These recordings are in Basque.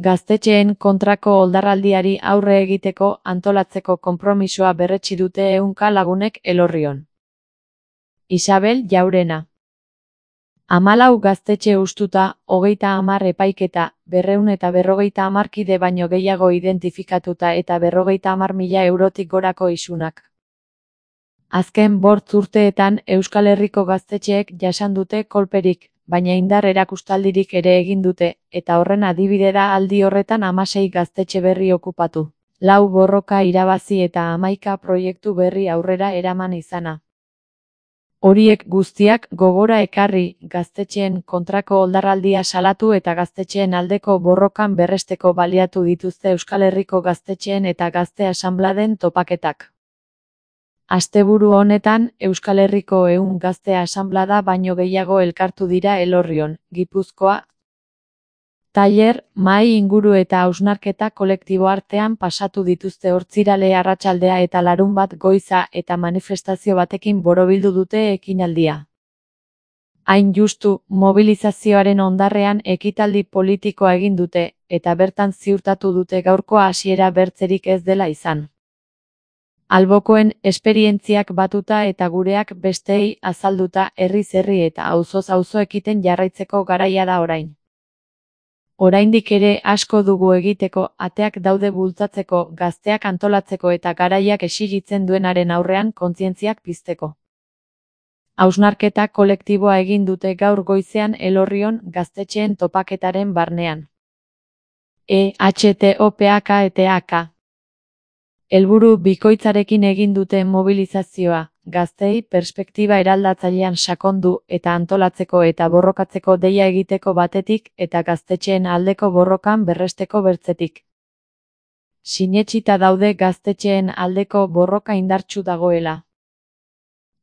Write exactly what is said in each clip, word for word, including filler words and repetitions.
Gaztetxeen kontrako oldarraldiari aurre egiteko antolatzeko konpromisoa berretsi dute ehunka lagunek Elorrion. Isabel Jaurena. Hamalau gaztetxe hustuta, hogeita hamar epaiketa, berrehun eta berrogeita hamar kide baino gehiago identifikatuta eta berrogeita hamar mila eurotik gorako isunak. Azken bost urteetan Euskal Herriko gaztetxeek jasan dute kolperik, baina indar erakustaldirik ere egin dute, eta horren adibide da aldi horretan hamasei gaztetxe berri okupatu. Lau borroka irabazi eta hamaika proiektu berri aurrera eraman izana. Horiek guztiak gogora ekarri, gaztetxeen kontrako oldarraldia salatu eta gaztetxeen aldeko borrokan berresteko baliatu dituzte Euskal Herriko gaztetxeen eta gazte asanbladen topaketak. Asteburu honetan, Euskal Herriko ehun gazte asanblada baino gehiago elkartu dira Elorrion, Gipuzkoa. Tailer, mahai inguru eta hausnarketa kolektibo artean pasatu dituzte Ortzirale arratsaldea eta Larunbat goiza eta manifestazio batekin borobildu dute ekinaldia. Hain justu, mobilizazioaren ondarrean ekitaldi politikoa egin dute, eta bertan ziurtatu dute gaurko hasiera bertzerik ez dela izan. Albokoen esperientziak batuta eta gureak besteei azalduta herriz herri eta auzoz auzo ekiten jarraitzeko garaia da orain. Oraindik ere asko dugu egiteko, ateak daude bultzatzeko, gazteak antolatzeko eta garaiak exigitzen duenaren aurrean kontzientziak pizteko. Hausnarketa kolektiboa egin dute gaur goizean Elorrion gaztetxeen topaketaren barnean. E H T O P A K E T A K. Helburu bikoitzarekin egin dute mobilizazioa, gazteei perspektiba eraldatzailean sakondu eta antolatzeko eta borrokatzeko deia egiteko batetik eta gaztetxeen aldeko borrokan berresteko bertzetik. Sinetsita daude gaztetxeen aldeko borroka indartsu dagoela.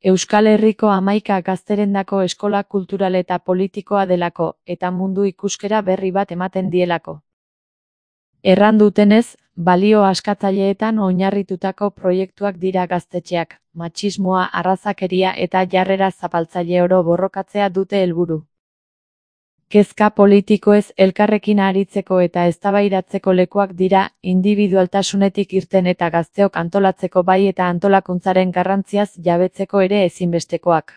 Euskal Herriko hamaika gazterendako eskola kultural eta politikoa delako, eta mundu ikuskera berri bat ematen dielako. Erran dutenez, balio askatzaileetan oinarritutako proiektuak dira gaztetxeak, matxismoa, arrazakeria eta jarrera zapaltzaile oro borrokatzea dute helburu. Kezka politikoez elkarrekin aritzeko eta eztabaidatzeko lekuak dira, indibidualtasunetik irten eta gazteok antolatzeko bai eta antolakuntzaren garrantziaz jabetzeko ere ezinbestekoak.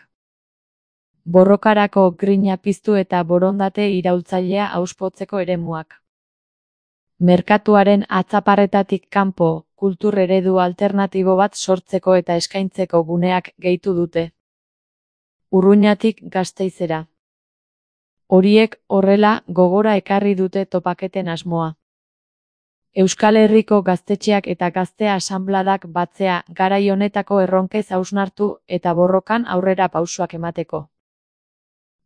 Borrokarako grina piztu eta borondate iraultzailea auspotzeko eremuak. Merkatuaren atzaparretatik kanpo, kultur eredu alternatibo bat sortzeko eta eskaintzeko guneak gehitu dute. Urruñatik Gasteizera. Horiek horrela gogora ekarri dute topaketen asmoa. Euskal Herriko gaztetxeak eta gazte asanbladak batzea garai honetako erronkez hausnartu eta borrokan aurrera pausoak emateko.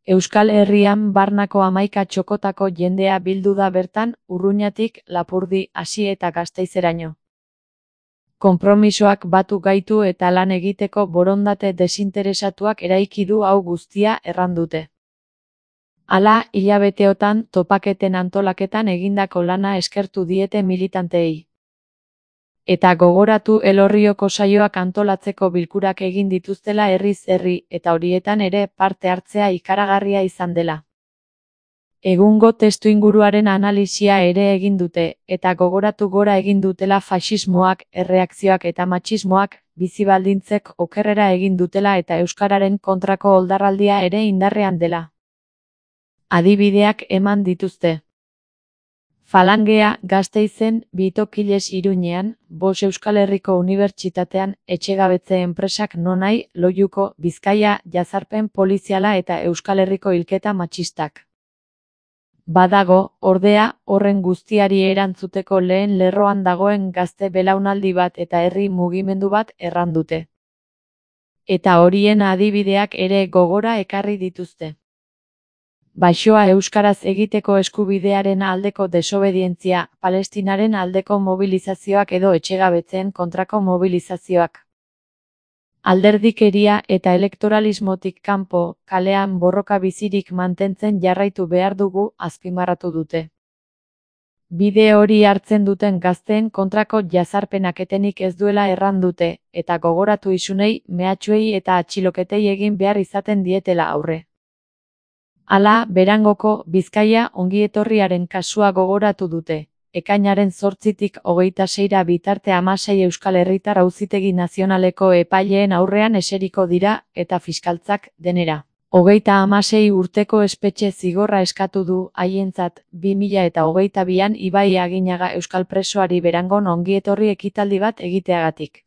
Euskal Herrian barnako hamaika txokotako jendea bildu da bertan, Urruñatik, Lapurdi, hasi eta Gasteizeraino. Konpromisoak batu gaitu eta lan egiteko borondate desinteresatuak eraiki du hau guztia erran dute. Hala, hilabeteotan topaketen antolaketan egindako lana eskertu diete militanteei. Eta gogoratu Elorrioko saioak antolatzeko bilkurak egin dituztela herriz herri eta horietan ere parte hartzea ikaragarria izan dela. Egungo testuinguruaren analisia ere egin dute, eta gogoratu gora egin dutela faxismoak, erreakzioak eta matxismoak, bizi baldintzek okerrera egin dutela eta euskararen kontrako oldarraldia ere indarrean dela. Adibideak eman dituzte. Falangea, Gasteizen, Bitokiles Iruñean, Bos Euskal Herriko Unibertsitatean, etxegabetze enpresak nonai, Loiuko, Bizkaia, jazarpen poliziala eta Euskal Herriko hilketa matxistak. Badago, ordea, horren guztiari erantzuteko lehen lerroan dagoen gazte belaunaldi bat eta herri mugimendu bat erran dute. Eta horien adibideak ere gogora ekarri dituzte. Baixoa euskaraz egiteko eskubidearen aldeko desobedientzia, Palestinaren aldeko mobilizazioak edo etxegabetzeen kontrako mobilizazioak. Alderdikeria eta elektoralismotik kanpo, kalean borroka bizirik mantentzen jarraitu behar dugu, azpimarratu dute. Bide hori hartzen duten gazteen kontrako jazarpenak etenik ez duela erran dute, eta gogoratu isunei, mehatxuei eta atxiloketei egin behar izaten dietela aurre. Hala, Berangoko Bizkaia ongietorriaren kasua gogoratu dute. Ekainaren zortzitik hogeita seira bitarte hamasei Euskal Herritar Auzitegi Nazionaleko epaileen aurrean eseriko dira eta fiskaltzak denera hogeita hamasei urteko espetxe zigorra eskatu du haientzat bi mila eta hogeita bian Ibai Aginaga euskal presoari Berangon ongietorri ekitaldi bat egiteagatik.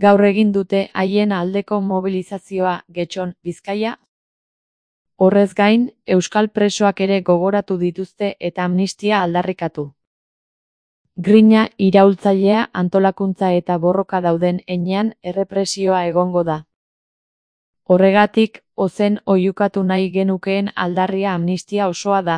Gaur egin dute haien aldeko mobilizazioa Getxon, Bizkaia. Horrez gain, euskal presoak ere gogoratu dituzte eta amnistia aldarrikatu. Grina iraultzailea antolakuntza eta borroka dauden heinean errepresioa egongo da. Horregatik, ozen oihukatu nahi genukeen aldarria amnistia osoa da.